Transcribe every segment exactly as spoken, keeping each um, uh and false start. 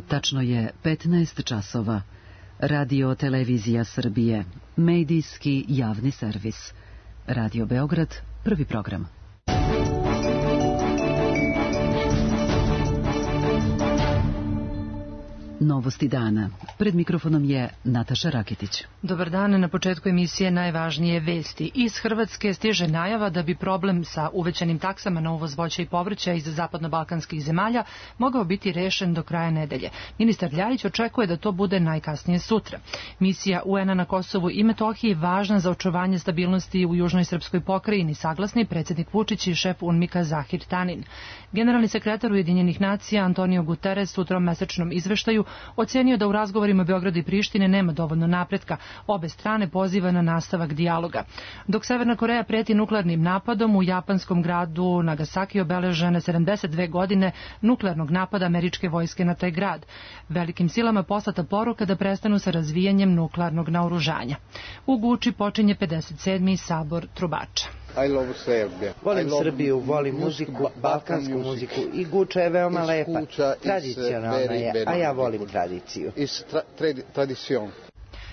Tačno je petnaest časova. Radio Televizija Srbije, medijski javni servis. Radio Beograd, prvi program. Novosti dana. Pred mikrofonom je Nataša Raketić. Dobar dan, na početku emisije najvažnije vesti. Iz Hrvatske stiže najava da bi problem sa uvećanim taksama na uvoz voća i povrća iz zapadno-balkanskih zemalja mogao biti rešen do kraja nedelje. Ministar Ljajić očekuje da to bude najkasnije sutra. Misija U N-a na Kosovu i Metohiji važna za očuvanje stabilnosti u južnoj srpskoj pokrajini, saglasni predsjednik Vučić i šef UNMIK-a Zahir Tanin. Generalni sekretar Ujedinjenih nacija Antonio Guterres u tromesečnom izveštaju ocenio da u razgovorima Beograda i Prištine nema dovoljno napretka. Obe strane poziva na nastavak dijaloga. Dok Severna Koreja preti nuklearnim napadom, u japanskom gradu Nagasaki obeležene sedamdeset dve godine nuklearnog napada američke vojske na taj grad. Velikim silama poslata poruka da prestanu sa razvijanjem nuklearnog naoružanja. U Guči počinje pedeset sedmi sabor trubača. I love Serbia. Volim Srbiju, volim muziku, balkansku muziku i Guča je veoma lepa, tradicionalna je, a ja volim tradiciju.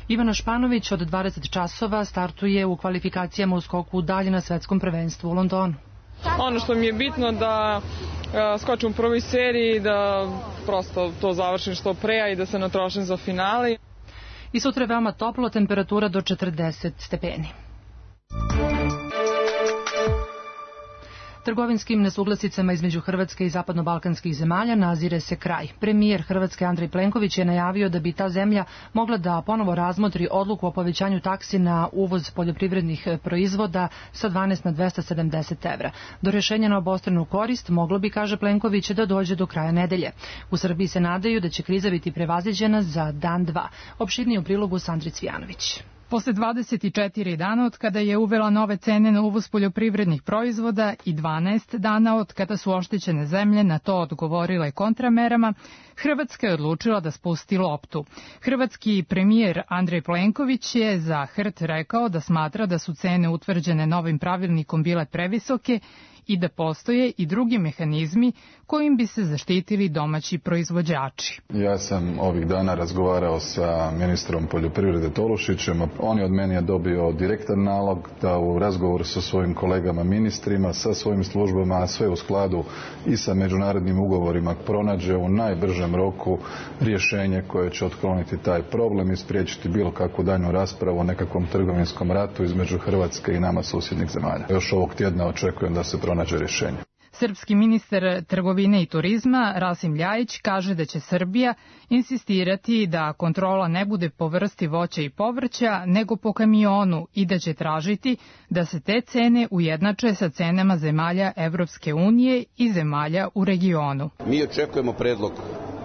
Ivana Španović od dvadeset časova startuje u kvalifikacijama u skoku dalje na svetskom prvenstvu u Londonu. Ono što mi je bitno da skočim u prvoj seriji, da prosto to završim što pre, a i da se natrošim za finale. I sutra je veoma toplo, temperatura do četrdeset stepeni. Trgovinskim nesuglasicama između Hrvatske i zapadno-balkanskih zemalja nazire se kraj. Premijer Hrvatske Andrej Plenković je najavio da bi ta zemlja mogla da ponovo razmotri odluku o povećanju taksi na uvoz poljoprivrednih proizvoda sa dvanaest na dvesta sedamdeset evra. Do rješenja na obostranu korist moglo bi, kaže Plenković, da dođe do kraja nedelje. U Srbiji se nadaju da će kriza biti prevaziđena za dan dva. Opširnije u prilogu Sandri Cvijanović. Posle dvadeset četiri dana od kada je uvela nove cene na uvoz poljoprivrednih proizvoda i dvanaest dana od kada su oštećene zemlje na to odgovorile kontramerama, Hrvatska je odlučila da spusti loptu. Hrvatski premijer Andrej Plenković je za H R T rekao da smatra da su cene utvrđene novim pravilnikom bile previsoke i da postoje i drugi mehanizmi kojim bi se zaštitili domaći proizvođači. Ja sam ovih dana razgovarao sa ministrom poljoprivrede Tolušićem. On je od mene dobio direktan nalog da u razgovoru sa svojim kolegama ministrima, sa svojim službama, a sve u skladu i sa međunarodnim ugovorima, pronađe u najbržem roku rješenje koje će otkloniti taj problem i spriječiti bilo kakvu daljnju raspravu o nekakvom trgovinskom ratu između Hrvatske i nama susjednih zemalja. Još ovog tjedna očekujem da se pronađe rješenje. Srpski ministar trgovine i turizma Rasim Ljajić kaže da će Srbija insistirati da kontrola ne bude po vrsti voća i povrća, nego po kamionu i da će tražiti da se te cene ujednače sa cenama zemalja Evropske unije i zemalja u regionu. Mi očekujemo predlog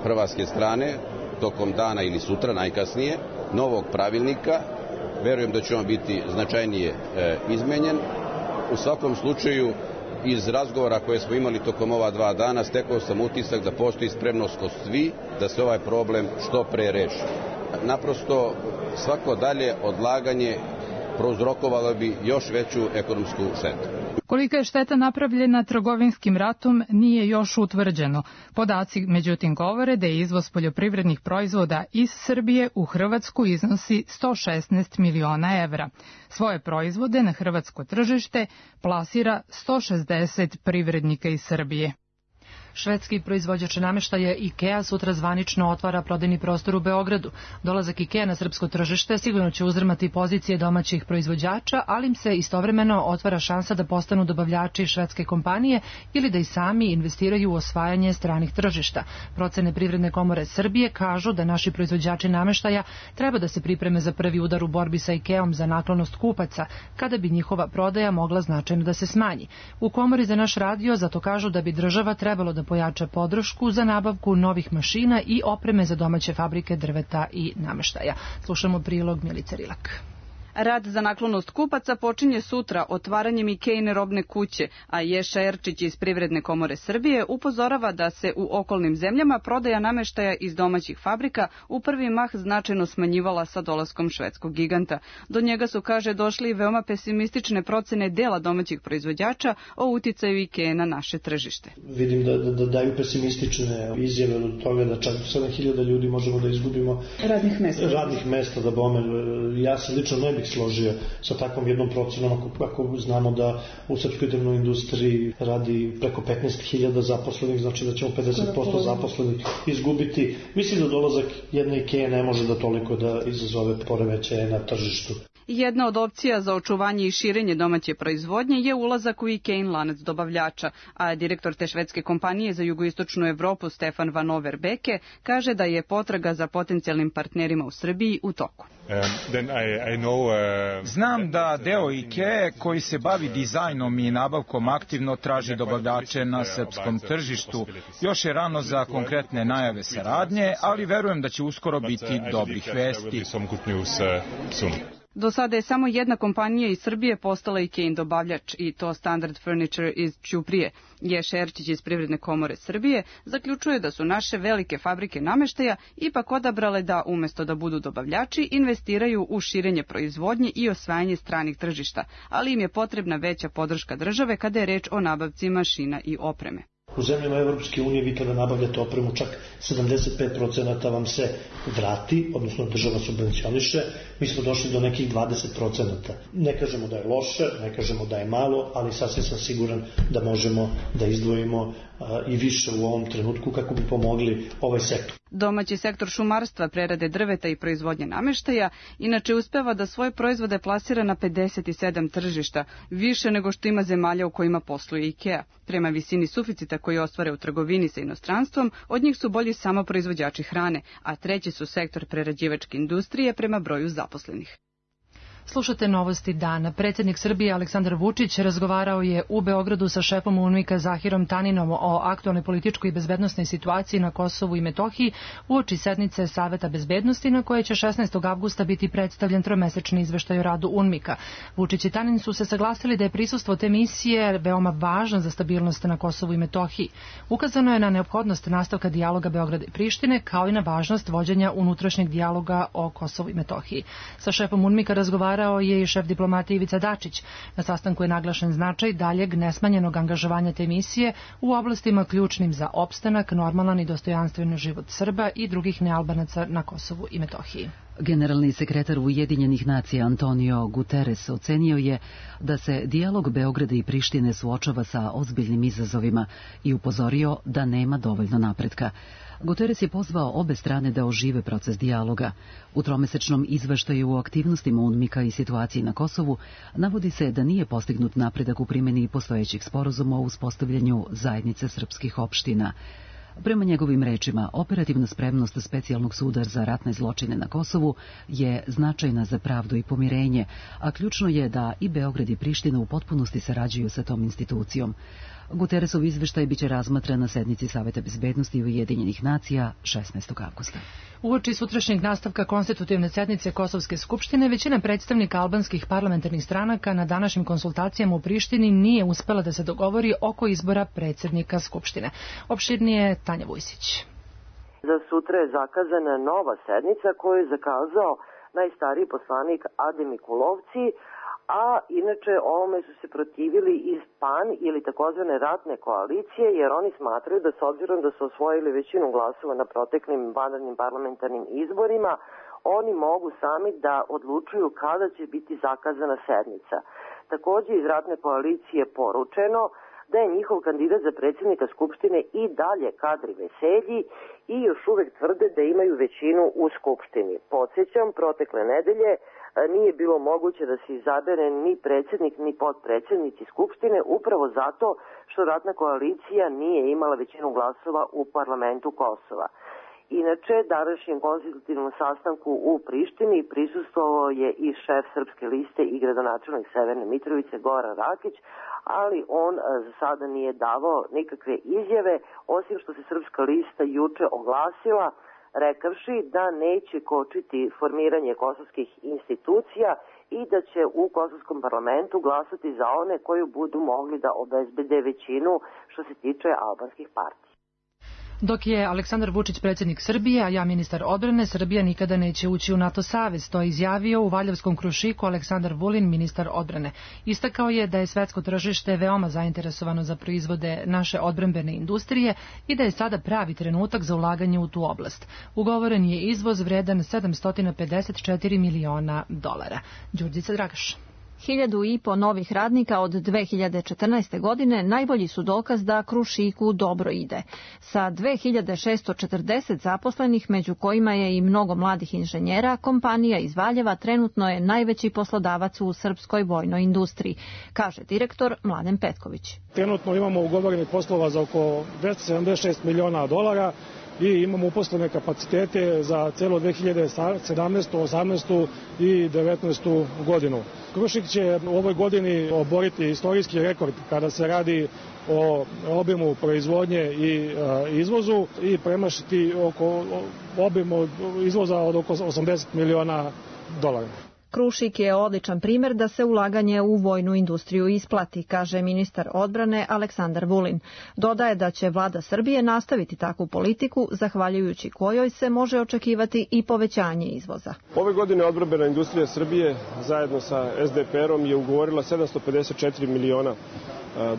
hrvatske strane tokom dana ili sutra najkasnije novog pravilnika. Verujem da će on biti značajnije e, izmenjen. U svakom slučaju, iz razgovora koje smo imali tokom ova dva dana, stekao sam utisak da postoji spremnost kod svi da se ovaj problem što pre reši. Naprosto, svako dalje odlaganje prouzrokovalo bi još veću ekonomsku štetu. Kolika je šteta napravljena trgovinskim ratom nije još utvrđeno. Podaci međutim govore da je izvoz poljoprivrednih proizvoda iz Srbije u Hrvatsku iznosi sto šesnaest miliona evra. Svoje proizvode na hrvatsko tržište plasira sto šezdeset privrednika iz Srbije. Švedski proizvođač namještaja IKEA sutra zvanično otvara prodajni prostor u Beogradu. Dolazak IKEA na srpsko tržište sigurno će uzdrmati pozicije domaćih proizvođača, ali im se istovremeno otvara šansa da postanu dobavljači švedske kompanije ili da i sami investiraju u osvajanje stranih tržišta. Procene Privredne komore Srbije kažu da naši proizvođači namještaja treba da se pripreme za prvi udar u borbi sa IKEA-om za naklonost kupaca, kada bi njihova prodaja mogla značajno da se smanji. U komori za naš radio zato kažu da bi država trebalo da pojača podršku za nabavku novih mašina i opreme za domaće fabrike drveta i namještaja. Slušamo prilog Milice Rilak. Rad za naklonost kupaca počinje sutra otvaranjem Ikejine robne kuće, a Ješa Erčić iz Privredne komore Srbije upozorava da se u okolnim zemljama prodaja nameštaja iz domaćih fabrika u prvi mah značajno smanjivala sa dolaskom švedskog giganta. Do njega su, kaže, došli i veoma pesimistične procene dela domaćih proizvođača o uticaju Ikeje na naše tržište. Vidim da, da, da daju pesimistične izjave od toga da čak sedam hiljada ljudi možemo da izgubimo radnih mesta. Radnih mesta da bome. Ja se lično ne bih složio sa takvom jednom procenom ako, ako znamo da u srpskoj drvnoj industriji radi preko petnaest hiljada zaposlenih, znači da ćemo pedeset posto zaposlenih izgubiti. Mislim da dolazak jedne Ikeje ne može da toliko da izazove poremećaje na tržištu. Jedna od opcija za očuvanje i širenje domaće proizvodnje je ulazak u Ikejin lanac dobavljača, a direktor te švedske kompanije za jugoistočnu Evropu Stefan Van Overbeke kaže da je potraga za potencijalnim partnerima u Srbiji u toku. Znam da deo Ikeje koji se bavi dizajnom i nabavkom aktivno traži dobavljače na srpskom tržištu. Još je rano za konkretne najave saradnje, ali verujem da će uskoro biti dobrih vesti. Do sada je samo jedna kompanija iz Srbije postala Ikejin dobavljač, i to Standard Furniture iz Ćuprije. Ješa Erčić iz Privredne komore Srbije zaključuje da su naše velike fabrike nameštaja ipak odabrale da, umesto da budu dobavljači, investiraju u širenje proizvodnje i osvajanje stranih tržišta, ali im je potrebna veća podrška države kada je reč o nabavci mašina i opreme. U zemljama Evropske unije vi kada nabavljate opremu čak sedamdeset pet procenata vam se vrati, odnosno država subvencioniše, mi smo došli do nekih dvadeset procenata. Ne kažemo da je loše, ne kažemo da je malo, ali sasvim sam siguran da možemo da izdvojimo a, i više u ovom trenutku kako bi pomogli ovaj sektor. Domaći sektor šumarstva, prerade drveta i proizvodnje nameštaja inače uspeva da svoje proizvode plasira na pedeset sedam tržišta, više nego što ima zemalja u kojima posluje Ikea. Prema visini suficita koji ostvare u trgovini sa inostranstvom, od njih su bolji samo proizvođači hrane, a treći su sektor prerađivačke industrije prema broju zaposlenih. Slušate novosti dana. Predsjednik Srbije Aleksandar Vučić razgovarao je u Beogradu sa šefom UNMIK-a Zahirom Taninom o aktualnoj političkoj i bezbednosnoj situaciji na Kosovu i Metohiji uoči sednice Saveta bezbednosti na koje će šesnaestog avgusta biti predstavljen tromesečni izveštaj o radu UNMIK-a. Vučić i Tanin su se saglasili da je prisustvo te misije veoma važno za stabilnost na Kosovu i Metohiji. Ukazano je na neophodnost nastavka dijaloga Beograda i Prištine, kao i na važnost vođenja unutrašnjeg dijaloga o Kosovu i Metohiji. Sa šefom UNMIK-a razgovarao je i šef diplomatije Ivica Dačić. Na sastanku je naglašen značaj daljeg nesmanjenog angažovanja te misije u oblastima ključnim za opstanak, normalan i dostojanstven život Srba i drugih nealbanaca na Kosovu i Metohiji. Generalni sekretar Ujedinjenih nacija Antonio Guterres ocenio je da se dijalog Beograda i Prištine suočava sa ozbiljnim izazovima i upozorio da nema dovoljno napretka. Guterres je pozvao obe strane da ožive proces dijaloga. U tromesečnom izveštaju o aktivnostima UNMIK-a i situaciji na Kosovu navodi se da nije postignut napredak u primjeni postojećih sporazuma o uspostavljanju zajednice srpskih opština. Prema njegovim rečima, operativna spremnost specijalnog suda za ratne zločine na Kosovu je značajna za pravdu i pomirenje, a ključno je da i Beograd i Priština u potpunosti sarađuju sa tom institucijom. Guterresov izveštaj biće razmatran na sednici Saveta bezbednosti Ujedinjenih nacija šesnaestog avgusta. Uoči sutrašnjeg nastavka konstitutivne sednice Kosovske skupštine, većina predstavnika albanskih parlamentarnih stranaka na današnjim konsultacijama u Prištini nije uspela da se dogovori oko izbora predsjednika skupštine. Opširnije Tanja Vujsić. Za sutra je zakazana nova sednica koju je zakazao najstariji poslanik Adem Mikulovci, a inače ovome su se protivili iz PAN ili takozvane ratne koalicije, jer oni smatraju da s obzirom da su osvojili većinu glasova na proteklim vanrednim parlamentarnim izborima, oni mogu sami da odlučuju kada će biti zakazana sednica. Također iz ratne koalicije je poručeno da je njihov kandidat za predsjednika Skupštine i dalje Kadri Veselji i još uvek tvrde da imaju većinu u Skupštini. Podsjećam, protekle nedelje nije bilo moguće da se izabere ni predsjednik ni potpredsjednici Skupštine upravo zato što ratna koalicija nije imala većinu glasova u parlamentu Kosova. Inače, današnjem konstitutivnom sastanku u Prištini prisustvovao je i šef Srpske liste i gradonačelnik Severne Mitrovice Goran Rakić, ali on za sada nije davao nikakve izjave, osim što se Srpska lista juče oglasila rekavši da neće kočiti formiranje kosovskih institucija i da će u kosovskom parlamentu glasati za one koji budu mogli da obezbede većinu što se tiče albanskih partija. Dok je Aleksandar Vučić predsjednik Srbije, a ja ministar odbrane, Srbija nikada neće ući u NATO savez. To je izjavio u Valjevskom Krušiku Aleksandar Vulin, ministar odbrane. Istakao je da je svetsko tržište veoma zainteresovano za proizvode naše odbrambene industrije i da je sada pravi trenutak za ulaganje u tu oblast. Ugovoren je izvoz vredan sedamsto pedeset četiri miliona dolara. Đurđica Dragaš. Hiljadu i po novih radnika od dve hiljade četrnaeste. godine najbolji su dokaz da Krušiku dobro ide. Sa dve hiljade šesto četrdeset zaposlenih, među kojima je i mnogo mladih inženjera, kompanija iz Valjeva trenutno je najveći poslodavac u srpskoj vojnoj industriji, kaže direktor Mladen Petković. Trenutno imamo ugovorenih poslova za oko dvesta sedamdeset šest miliona dolara i imamo uposlene kapacitete za celo dve hiljade sedamnaestu, osamnaestu i devetnaestu. godinu. Krušik će u ovoj godini oboriti istorijski rekord kada se radi o obimu proizvodnje i izvozu i premašiti oko obimu izvoza od oko osamdeset miliona dolara. Krušik je odličan primjer da se ulaganje u vojnu industriju isplati, kaže ministar odbrane Aleksandar Vulin. Dodaje da će vlada Srbije nastaviti takvu politiku, zahvaljujući kojoj se može očekivati i povećanje izvoza. Ove godine odbrambena industrija Srbije zajedno sa es de pe er-om je ugovorila sedamsto pedeset četiri miliona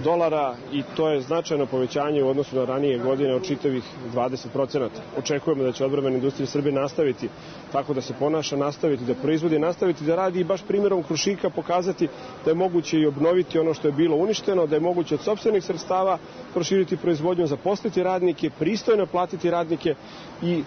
dolara i to je značajno povećanje u odnosu na ranije godine od čitavih dvadeset procenata. Očekujemo da će odbrambena industrija Srbije nastaviti tako da se ponaša, nastaviti da proizvodi, nastaviti da radi i baš primjerom Krušika pokazati da je moguće i obnoviti ono što je bilo uništeno, da je moguće od sopstvenih sredstava proširiti proizvodnju, zaposliti radnike, pristojno platiti radnike i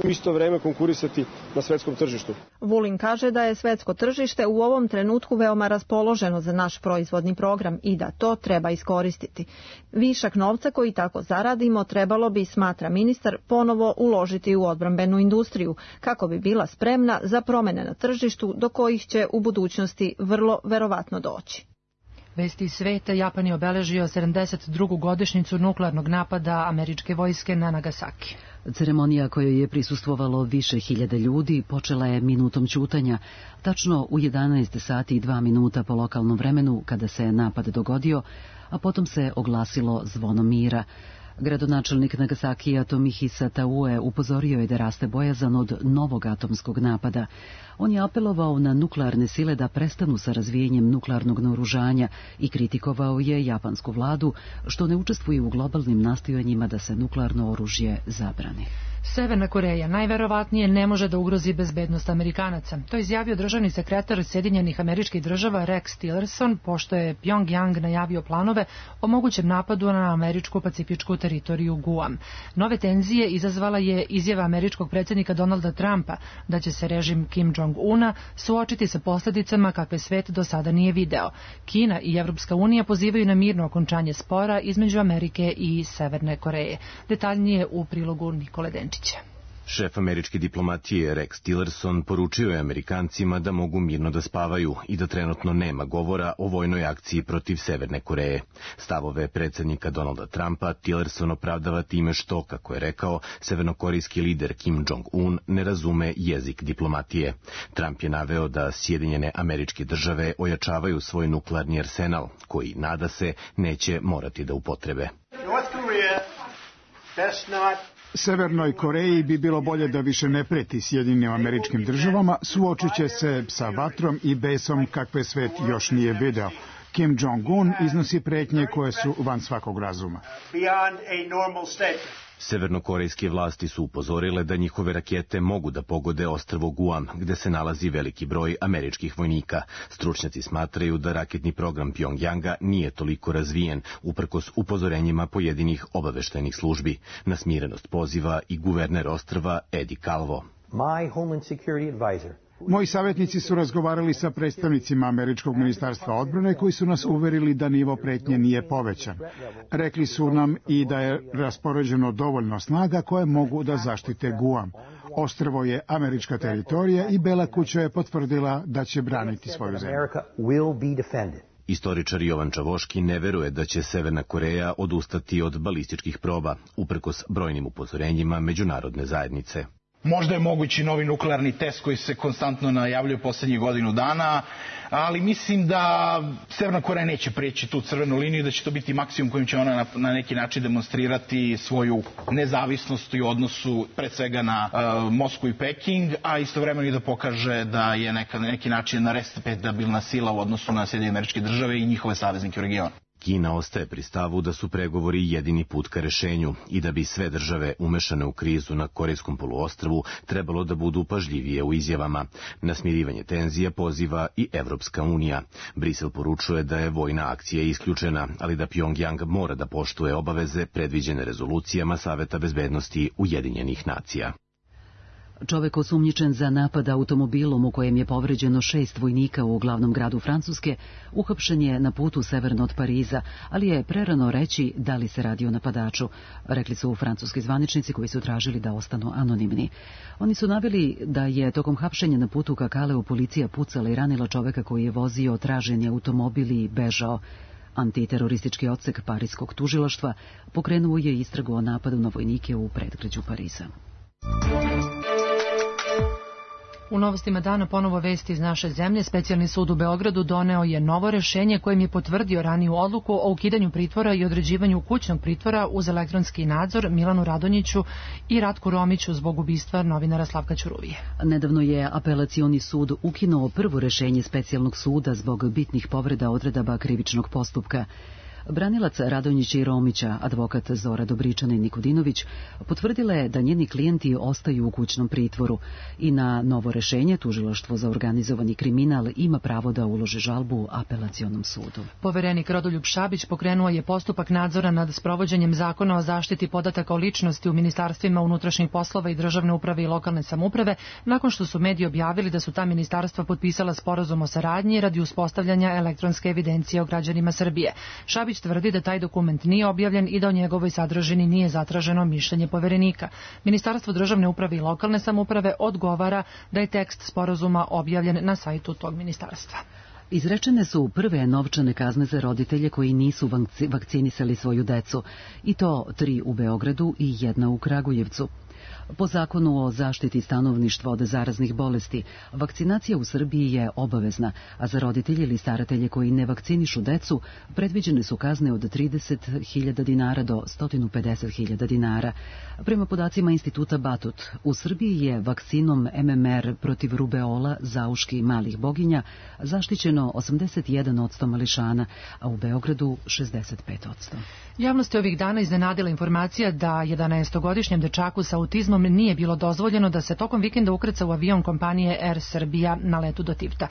u isto vreme konkurisati na svetskom tržištu. Vulin kaže da je svetsko tržište u ovom trenutku veoma raspoloženo za naš proizvodni program i da to treba iskoristiti. Višak novca koji tako zaradimo trebalo bi, smatra ministar, ponovo uložiti u odbrambenu industriju, kako bi bila spremna za promjene na tržištu do kojih će u budućnosti vrlo verovatno doći. Vesti iz sveta. Japan je obeležio sedamdeset drugu godišnjicu nuklearnog napada američke vojske na Nagasaki. Ceremonija kojoj je prisustvovalo više hiljada ljudi počela je minutom ćutanja, tačno u jedanaest sati i dva minuta po lokalnom vremenu kada se napad dogodio, a potom se oglasilo zvono mira. Gradonačelnik Nagasakija Tomihisa Taue upozorio je da raste bojazan od novog atomskog napada. On je apelovao na nuklearne sile da prestanu sa razvijenjem nuklearnog naoružanja i kritikovao je japansku vladu što ne učestvuje u globalnim nastojanjima da se nuklearno oružje zabrani. Severna Koreja najverovatnije ne može da ugrozi bezbednost Amerikanaca. To je izjavio državni sekretar Sjedinjenih Američkih Država Rex Tillerson, pošto je Pjongjang najavio planove o mogućem napadu na američku pacifičku teritoriju Guam. Nove tenzije izazvala je izjava američkog predsjednika Donalda Trumpa da će se režim Kim Jong-una suočiti sa posljedicama kakve svet do sada nije video. Kina i Evropska unija pozivaju na mirno okončanje spora između Amerike i Severne Koreje. Detaljnije u prilogu Nikole Denčića. Šef američke diplomatije Rex Tillerson poručio je Amerikancima da mogu mirno da spavaju i da trenutno nema govora o vojnoj akciji protiv Severne Koreje. Stavove predsjednika Donalda Trumpa Tillerson opravdava time što, kako je rekao, severnokorejski lider Kim Jong-un ne razume jezik diplomatije. Trump je naveo da Sjedinjene Američke Države ojačavaju svoj nuklearni arsenal, koji, nada se, neće morati da upotrebe. Severnoj Koreji bi bilo bolje da više ne preti Sjedinjenim Američkim Državama, suočit će se sa vatrom i besom kakve svet još nije video. Kim Jong-un iznosi pretnje koje su van svakog razuma. Severnokorejske vlasti su upozorile da njihove rakete mogu da pogode ostrvo Guam, gde se nalazi veliki broj američkih vojnika. Stručnjaci smatraju da raketni program Pjongjanga nije toliko razvijen, uprkos upozorenjima pojedinih obaveštajnih službi. Na smirenost poziva i guverner ostrva Eddie Calvo. My Homeland Security advisor Moji savjetnici su razgovarali sa predstavnicima Američkog ministarstva odbrane koji su nas uverili da nivo pretnje nije povećan. Rekli su nam i da je raspoređeno dovoljno snaga koje mogu da zaštite Guam. Ostrvo je američka teritorija i Bela kuća je potvrdila da će braniti svoju zemlju. Istoričar Jovan Čavoški ne veruje da će Severna Koreja odustati od balističkih proba, uprkos brojnim upozorenjima međunarodne zajednice. Možda je mogući novi nuklearni test koji se konstantno najavljuje poslednjih godinu dana, ali mislim da Severna Koreja neće prijeći tu crvenu liniju i da će to biti maksimum kojim će ona na, na neki način demonstrirati svoju nezavisnost u odnosu pred svega na uh, Moskvu i Peking, a istovremeno i da pokaže da je neka, na neki način respektabilna sila u odnosu na Sjedinjene Američke Države i njihove saveznike u regionu. Kina ostaje pri stavu da su pregovori jedini put ka rešenju i da bi sve države umešane u krizu na Korejskom poluostrvu trebalo da budu pažljivije u izjavama. Na smirivanje tenzija poziva i Evropska unija. Brisel poručuje da je vojna akcija isključena, ali da Pjongjang mora da poštuje obaveze predviđene rezolucijama Saveta bezbednosti Ujedinjenih nacija. Čovek osumnjičen za napad automobilom u kojem je povređeno šest vojnika u glavnom gradu Francuske uhapšen je na putu severno od Pariza, ali je prerano reći da li se radi o napadaču, rekli su francuski zvaničnici koji su tražili da ostanu anonimni. Oni su naveli da je tokom hapšenja na putu ka Kaleu policija pucala i ranila čoveka koji je vozio traženi automobil i bežao. Antiteroristički odsek Parijskog tužilaštva pokrenuo je istragu o napadu na vojnike u predgrađu Pariza. U novostima dana ponovo vesti iz naše zemlje. Specijalni sud u Beogradu doneo je novo rešenje kojim je potvrdio raniju odluku o ukidanju pritvora i određivanju kućnog pritvora uz elektronski nadzor Milanu Radonjiću i Ratku Romiću zbog ubistva novinara Slavka Ćuruvije. Nedavno je apelacioni sud ukinuo prvo rešenje specijalnog suda zbog bitnih povreda odredaba krivičnog postupka. Branilac Radonjića i Romića, advokat Zora Dobričana i Nikodinović, potvrdila je da njeni klijenti ostaju u kućnom pritvoru i na novo rešenje tužilaštvo za organizovani kriminal ima pravo da uloži žalbu apelacionom sudu. Poverenik Rodoljub Šabić pokrenuo je postupak nadzora nad sprovođenjem zakona o zaštiti podataka o ličnosti u ministarstvima unutrašnjih poslova i državne uprave i lokalne samouprave, nakon što su mediji objavili da su ta ministarstva potpisala sporazum o saradnji radi uspostavljanja elektronske evidencije o građanima Srbije. Šabić tvrdi da taj dokument nije objavljen i da o njegovoj sadržini nije zatraženo mišljenje poverenika. Ministarstvo državne uprave i lokalne samouprave odgovara da je tekst sporazuma objavljen na sajtu tog ministarstva. Izrečene su prve novčane kazne za roditelje koji nisu vakcinisali svoju decu, i to tri u Beogradu i jedna u Kragujevcu. Po zakonu o zaštiti stanovništva od zaraznih bolesti, vakcinacija u Srbiji je obavezna, a za roditelje ili staratelje koji ne vakcinišu decu predviđene su kazne od trideset hiljada dinara do sto pedeset hiljada dinara. Prema podacima Instituta Batut, u Srbiji je vakcinom M M R protiv rubeola, zauški i malih boginja zaštićeno osamdeset jedan posto mališana, a u Beogradu šezdeset pet posto. Javnost je ovih dana iznenadila informacija da jedanaestogodišnjem dečaku sa autizmom nije bilo dozvoljeno da se tokom vikenda ukrca u avion kompanije Air Srbija na letu do Tivta.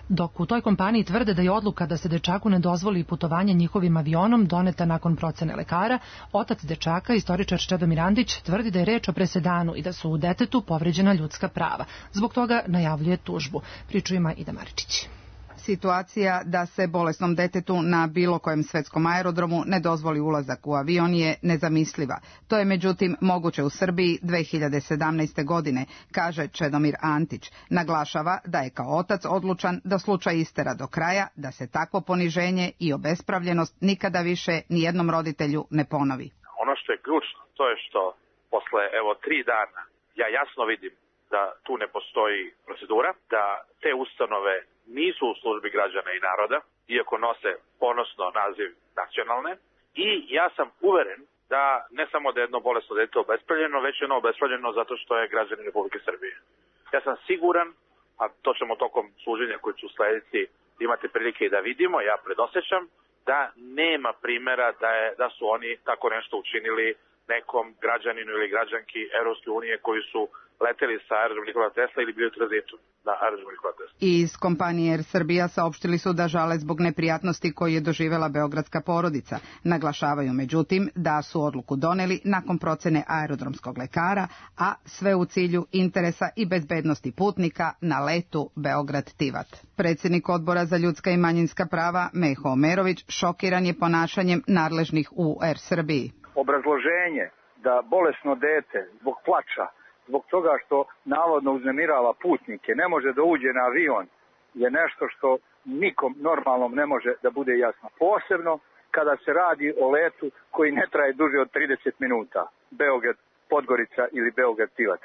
Dok u toj kompaniji tvrde da je odluka da se dečaku ne dozvoli putovanje njihovim avionom doneta nakon procene lekara, otac dečaka, istoričar Čedomir Andić, tvrdi da je reč o presedanu i da su u detetu povređena ljudska prava. Zbog toga najavljuje tužbu. Priču ima Ida Maričić. Situacija da se bolesnom detetu na bilo kojem svetskom aerodromu ne dozvoli ulazak u avion je nezamisliva. To je međutim moguće u Srbiji dve hiljade sedamnaeste. godine, kaže Čedomir Antić. Naglašava da je kao otac odlučan da slučaj istera do kraja, da se takvo poniženje i obespravljenost nikada više nijednom roditelju ne ponovi. Ono što je ključno, to je što posle evo tri dana ja jasno vidim da tu ne postoji procedura, da te ustanove nisu u službi građana i naroda, iako nose ponosno naziv nacionalne, i ja sam uveren da ne samo da je jedno bolesno dete obespravljeno, već je ono obespravljeno zato što je građanin Republike Srbije. Ja sam siguran, a to ćemo tokom služenja koji ću slediti imati prilike i da vidimo, ja predosećam, da nema primjera da, je, da su oni tako nešto učinili nekom građaninu ili građanki Evropske unije koji su leteli sa aerodroma Nikola Tesla ili bili u tranzitu na aerodromu Nikola Tesla. Iz kompanije Air Srbija saopštili su da žale zbog neprijatnosti koje je doživela beogradska porodica. Naglašavaju međutim da su odluku doneli nakon procene aerodromskog lekara, a sve u cilju interesa i bezbednosti putnika na letu Beograd-Tivat. Predsjednik Odbora za ljudska i manjinska prava Meho Omerović šokiran je ponašanjem nadležnih u Air Srbiji. Obrazloženje da bolesno dete zbog plača, zbog toga što navodno uznemirava putnike, ne može da uđe na avion, je nešto što nikom normalnom ne može da bude jasno. Posebno kada se radi o letu koji ne traje duže od trideset minuta, Beograd, Podgorica ili Beograd, Tivat.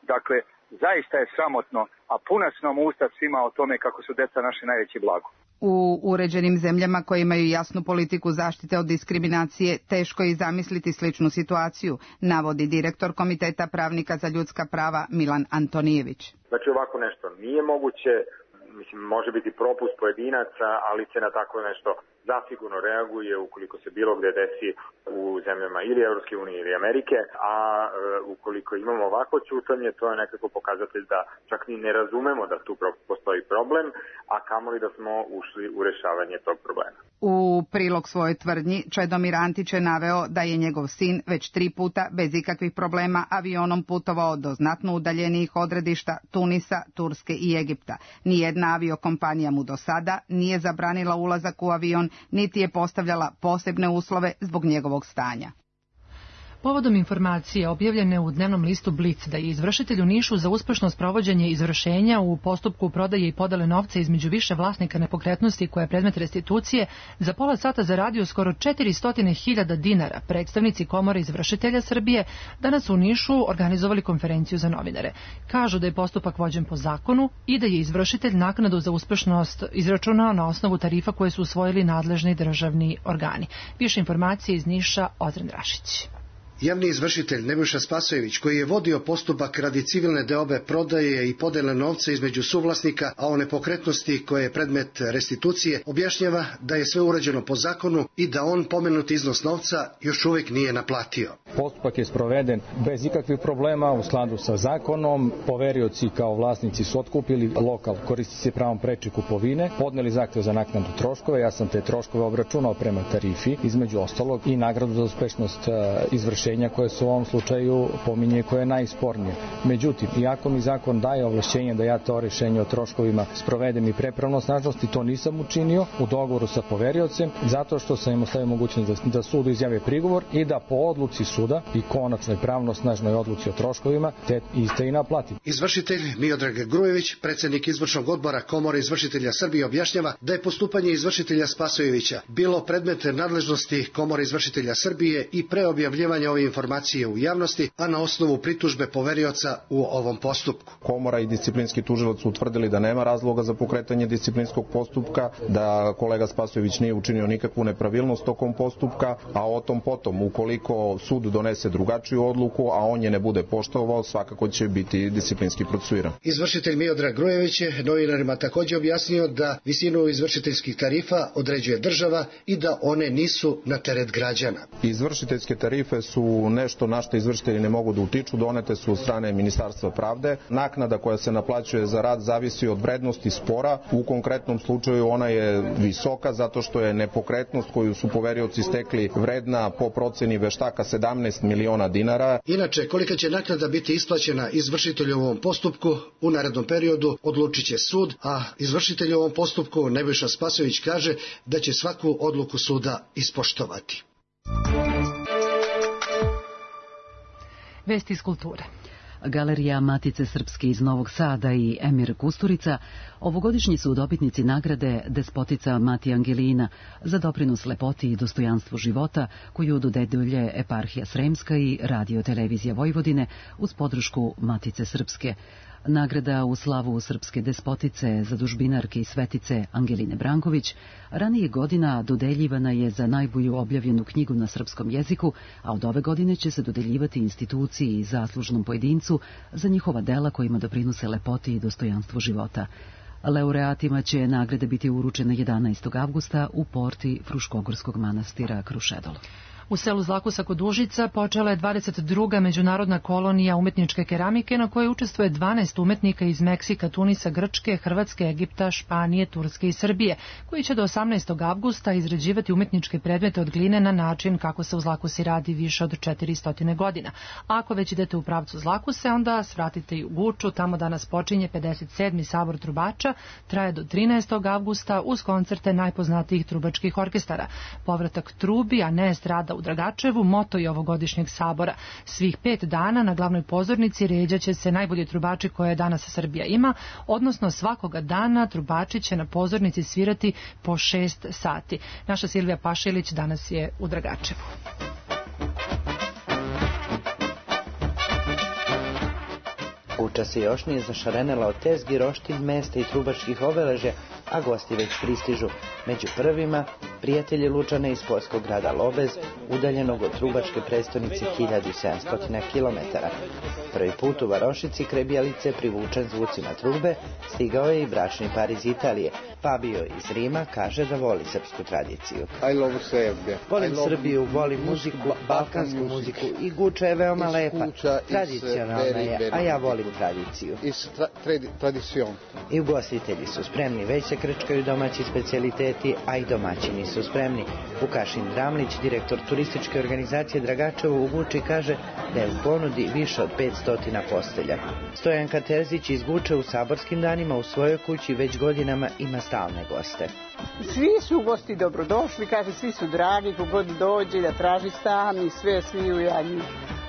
Dakle, zaista je sramotno, a puna su nam usta svima o tome kako su deca naše najveće blago. U uređenim zemljama koje imaju jasnu politiku zaštite od diskriminacije teško je i zamisliti sličnu situaciju, navodi direktor Komiteta pravnika za ljudska prava Milan Antonijević. Znači ovako nešto nije moguće, mislim može biti propust pojedinaca, ali se na tako nešto zasigurno reaguje ukoliko se bilo gde desi u zemljama ili Evropske unije ili Amerike, a e, ukoliko imamo ovako ćutanje, to je nekako pokazatelj da čak ni ne razumemo da tu postoji problem, a kamoli da smo ušli u rešavanje tog problema. U prilog svojoj tvrdnji Čedomir Antić je naveo da je njegov sin već tri puta bez ikakvih problema avionom putovao do znatno udaljenijih odredišta Tunisa, Turske i Egipta. Nijedna aviokompanija mu do sada nije zabranila ulazak u avion, niti je postavljala posebne uslove zbog njegovog stanja. Povodom informacije objavljene u dnevnom listu Blic da je izvršitelj u Nišu za uspešno sprovođenje izvršenja u postupku prodaje i podele novca između više vlasnika nepokretnosti koja je predmet restitucije za pola sata zaradio skoro četiristo hiljada dinara, predstavnici Komore izvršitelja Srbije danas u Nišu organizovali konferenciju za novinare. Kažu da je postupak vođen po zakonu i da je izvršitelj naknadu za uspešnost izračunao na osnovu tarifa koje su usvojili nadležni državni organi. Više informacije iz Niša, Ozren Rašić. Javni izvršitelj Nebojša Spasojević, koji je vodio postupak radi civilne deobe prodaje i podele novca između suvlasnika, a o nepokretnosti koje je predmet restitucije, objašnjava da je sve urađeno po zakonu i da on pomenuti iznos novca još uvijek nije naplatio. Postupak je sproveden bez ikakvih problema u skladu sa zakonom. Poverioci kao vlasnici su otkupili lokal, koristi se pravom preče kupovine, podneli zahtev za naknadu troškove. Ja sam te troškove obračunao prema tarifi, između ostalog i nagradu za uspešnost izvršenja koje se u ovom slučaju pominje koje je najspornije. Međutim, iako mi zakon daje ovlašćenje da ja to rešenje o troškovima sprovedem i prepravno snažnosti, to nisam učinio u dogovoru sa poveriocem, zato što sam im ostavio mogućnost da, da sudu izjave prigovor i da po odluci suda i konačnoj pravno snažnoj odluci o troškovima te iste i naplati. Izvršitelj Miodrag Grujević, predsjednik izvršnog odbora Komore izvršitelja Srbije, objašnjava da je postupanje izvršitelja Spasojevića bilo predmet nadležnosti Komore izvršitelja Srbije i pre objavljivanja ove informacije u javnosti, a na osnovu pritužbe poverioca u ovom postupku. Komora i disciplinski tužilac su utvrdili da nema razloga za pokretanje disciplinskog postupka, da kolega Spasojević nije učinio nikakvu nepravilnost tokom postupka, a o tom potom, ukoliko sud donese drugačiju odluku, a on je ne bude poštovao, svakako će biti disciplinski procesuiran. Izvršitelj Miodrag Grujević je novinarima također objasnio da visinu izvršiteljskih tarifa određuje država i da one nisu na teret građana. Izvršiteljske tarife su nešto na što izvršitelji ne mogu da utiču, donete su od strane Ministarstva pravde. Naknada koja se naplaćuje za rad zavisi od vrednosti spora. U konkretnom slučaju ona je visoka zato što je nepokretnost koju su poverioci stekli vredna po proceni veštaka sedamnaest miliona dinara. Inače, kolika će naknada biti isplaćena izvršitelju u ovom postupku u narednom periodu odlučit će sud, a izvršitelj u ovom postupku Nebojša Spasojević kaže da će svaku odluku suda ispoštovati. Vesti iz kulture. Galerija Matice Srpske iz Novog Sada i Emir Kusturica ovogodišnji su dobitnici nagrade Despotica Mati Angelina za doprinos lepoti i dostojanstvu života koju dodeljuje Eparhija Sremska i Radio Televizija Vojvodine uz podršku Matice Srpske. Nagrada u slavu srpske despotice, zadužbinarke i svetice Angeline Branković ranije godina dodeljivana je za najbolju objavljenu knjigu na srpskom jeziku, a od ove godine će se dodeljivati instituciji i zaslužnom pojedincu za njihova dela kojima doprinose lepoti i dostojanstvu života. Laureatima će nagrade biti uručene jedanaestog avgusta u porti Fruškogorskog manastira Krušedol. U selu Zlakusa kod Užica počela je dvadeset druga međunarodna kolonija umetničke keramike na kojoj učestvuje dvanaest umetnika iz Meksika, Tunisa, Grčke, Hrvatske, Egipta, Španije, Turske i Srbije, koji će do osamnaestog avgusta izrađivati umetničke predmete od gline na način kako se u Zlakusi radi više od četiristo godina. Ako već idete u pravcu Zlakuse, onda svratite i u Guču, tamo danas počinje pedeset sedmi sabor trubača, traje do trinaestog avgusta uz koncerte najpoznatijih trubačkih orkestara. Povratak trubi, a ne estrada u Dragačevu, moto je ovogodišnjeg sabora. Svih pet dana na glavnoj pozornici ređaće se najbolji trubači koje danas Srbija ima, odnosno svakoga dana trubači će na pozornici svirati po šest sati. Naša Silvija Pašilić danas je u Dragačevu. Guča se još nije zašarenela od tezgi, roštilj, mesta i trubačkih obeležja, a gosti već pristižu. Među prvima prijatelji Lučana iz poljskog grada Lobez, udaljenog od trubačke prestonice hiljadu sedamsto kilometara. Prvi put u varošici kraj Bjelice, privučen zvucima trube, stigao je i bračni par iz Italije. Fabio iz Rima kaže da voli srpsku tradiciju. I love Serbia. Volim Srbiju, volim muziku, balkansku muziku i Guča je veoma lepa. Tradicionalna je, a ja volim tradiciju. I ugostitelji su spremni, već se krčkaju domaći specijaliteti, a i domaćini su spremni. Vukašin Dramlić, direktor turističke organizacije Dragačevo u Guči, kaže da je u ponudi više od petsto postelja. Stojanka Terzić iz Guče u saborskim danima u svojoj kući već godinama ima stalne goste. Svi su gosti dobrodošli, kaže, svi su dragi, kogod dođe da traži stan i sve, svi u jadnji.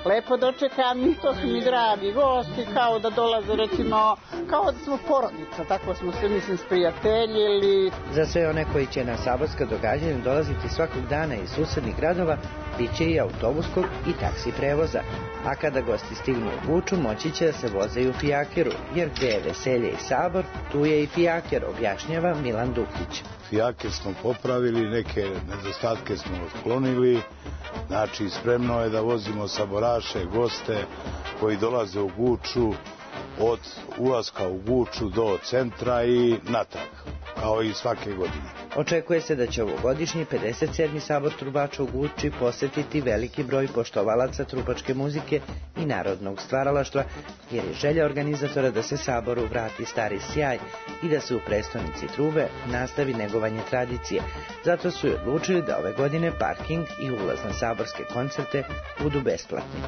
Lepo dočekam i to su mi dragi gosti, kao da dolaze, recimo, kao da smo porodica, tako smo se, mislim, sprijateljili. Za sve one koji će na saborska događanja dolaziti svakog dana iz susednih gradova, bit će i autobuskog i taksi prevoza. A kada gosti stignu u Guču, moći će da se voze i u fijakeru, jer gde je veselje i sabor, tu je i fijaker, objašnjava Milan Dukić. Fijaker smo popravili, neke nedostatke smo otklonili, znači spremno je da vozimo saboraše, goste koji dolaze u Guču od ulaska u Guču do centra i natrag, kao i svake godine. Očekuje se da će ovogodišnji pedeset sedmi sabor trubača u Guči posetiti veliki broj poštovalaca trubačke muzike i narodnog stvaralaštva, jer je želja organizatora da se saboru vrati stari sjaj i da se u prestonici trube nastavi negovanje tradicije. Zato su i odlučili da ove godine parking i ulaz na saborske koncerte budu besplatni.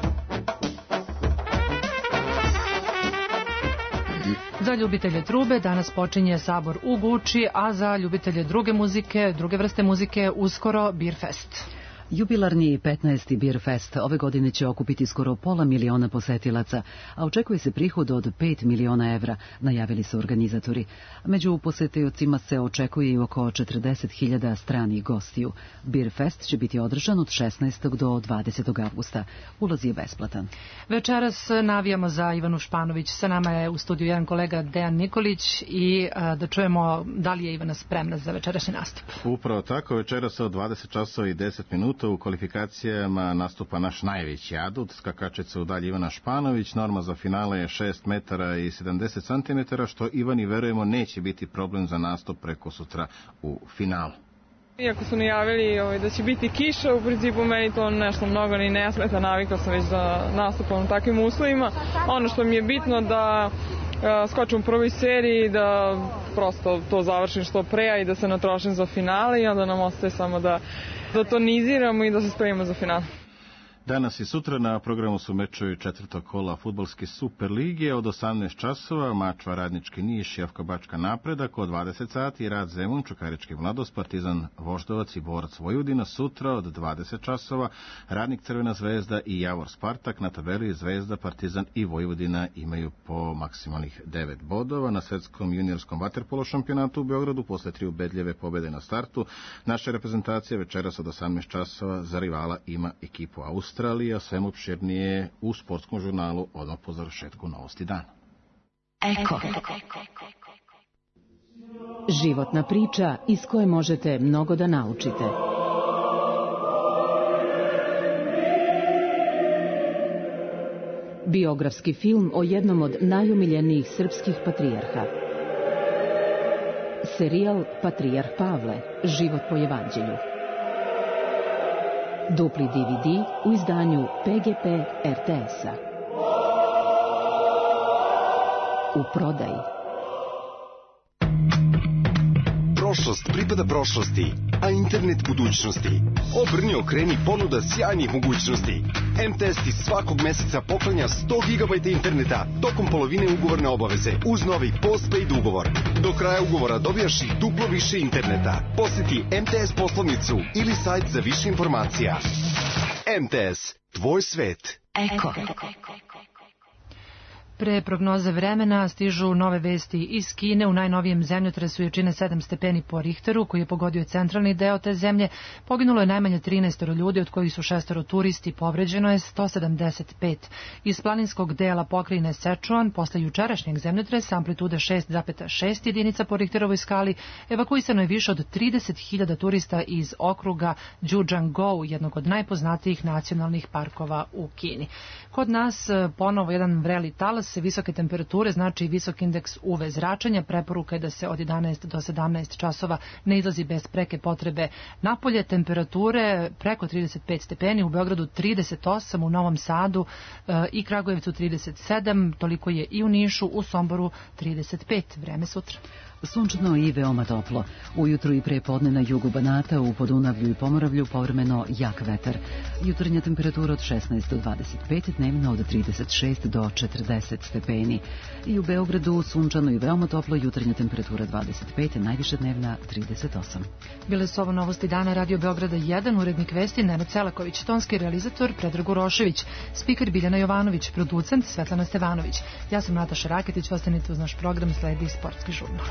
Za ljubitelje trube danas počinje sabor u Guči, a za ljubitelje druge muzike, druge vrste muzike, uskoro Beer Fest. Jubilarni petnaesti Beer Fest ove godine će okupiti skoro pola miliona posetilaca, a očekuje se prihod od pet miliona evra, najavili su organizatori. Među posetiocima se očekuje i oko četrdeset hiljada stranih gostiju. Beer Fest će biti održan od šesnaestog do dvadesetog avgusta. Ulaz je besplatan. Večeras navijamo za Ivanu Španović. Sa nama je u studiju jedan kolega Dejan Nikolić i a, da čujemo da li je Ivana spremna za večerašnji nastup. Upravo tako, večeras od dvadeset časova i deset minuta u kvalifikacijama nastupa naš najveći adut, skakačica u dalji Ivana Španović. Norma za finale je šest metara i sedamdeset centimetara, što Ivani verujemo neće biti problem za nastup preko sutra u finalu. Iako su najavili ovaj, da će biti kiša, u principu meni to nešto mnogo ni ne smeta, navikla sam već da nastupam u takvim uslovima. Ono što mi je bitno da uh, skočim u prvoj seriji, da prosto to završim što pre i da se natrošim za finale i onda nam ostaje samo da, da toniziramo i da se spremimo za finale. Danas i sutra na programu su mečevi četvrtog kola fudbalske Super lige od osamnaest časova, Mačva Radnički Niš, Jefka Bačka Napredak, od dvadeset sati Rad Zemun, Čukarički Mladost, Partizan Voždovac i Borac Vojvodina. Sutra od dvadeset časova Radnik Crvena zvezda i Javor Spartak. Na tabeli Zvezda, Partizan i Vojvodina imaju po maksimalnih devet bodova. Na svetskom juniorskom vaterpolo šampionatu u Beogradu posle tri ubedljive pobede na startu naša reprezentacija večeras od osamnaest časova za rivala ima ekipu Austrije. Australija, svem opširnije u sportskom žurnalu odmah po završetku Novosti dana. Eko. Životna priča iz koje možete mnogo da naučite. Biografski film o jednom od najomiljenijih srpskih patrijarha. Serijal Patrijarh Pavle, život po evanđelju. Dupli D V D u izdanju P G P R T S-a. U prodaji. Prošlost pripada prošlosti, a internet budućnosti. Obrni, okreni, ponuda sjajnih mogućnosti. M T S ti svakog meseca poklanja sto gigabajta interneta tokom polovine ugovorne obaveze uz novi postpaid ugovor. Do kraja ugovora dobijaš i duplo više interneta. Posjeti M T S poslovnicu ili sajt za više informacija. M T S, tvoj svet. Eko. Pre prognoze vremena stižu nove vesti iz Kine. U najnovijem zemljotresu jačine sedam stepeni po Richteru, koji je pogodio centralni deo te zemlje, poginulo je najmanje trinaest ljudi, od kojih su šestoro turisti, povređeno je sto sedamdeset pet. Iz planinskog dela pokrajine Sichuan, posle jučerašnjeg zemljotresa amplitude šest zarez šest jedinica po Richterovoj skali, evakuisano je više od trideset hiljada turista iz okruga Zhejiangou, jednog od najpoznatijih nacionalnih parkova u Kini. Kod nas ponovo jedan vreli talas, visoke temperature, znači visok indeks U V zračenja. Preporuka je da se od jedanaest do sedamnaest časova ne izlazi bez preke potrebe napolje. Temperature preko trideset pet stepeni, u Beogradu trideset osam, u Novom Sadu e, i Kragujevcu trideset sedam, toliko je i u Nišu, u Somboru trideset pet. Vreme sutra. Sunčano i veoma toplo. Ujutru i pre podne na jugu Banata, u Podunavlju i Pomoravlju povremeno jak vetar. Jutarnja temperatura od šesnaest do dvadeset pet, dnevna od trideset šest do četrdeset stepeni. I u Beogradu sunčano i veoma toplo, jutarnja temperatura dvadeset pet, najviše dnevna trideset osam. Bile su ovo novosti dana Radio Beograda jedan, urednik vesti Nenad Celaković, tonski realizator Predrag Urošević, spiker Biljana Jovanović, producent Svetlana Stevanović. Ja sam Nataša Raketić, ostanite uz naš program, sledi Sportski žurnal.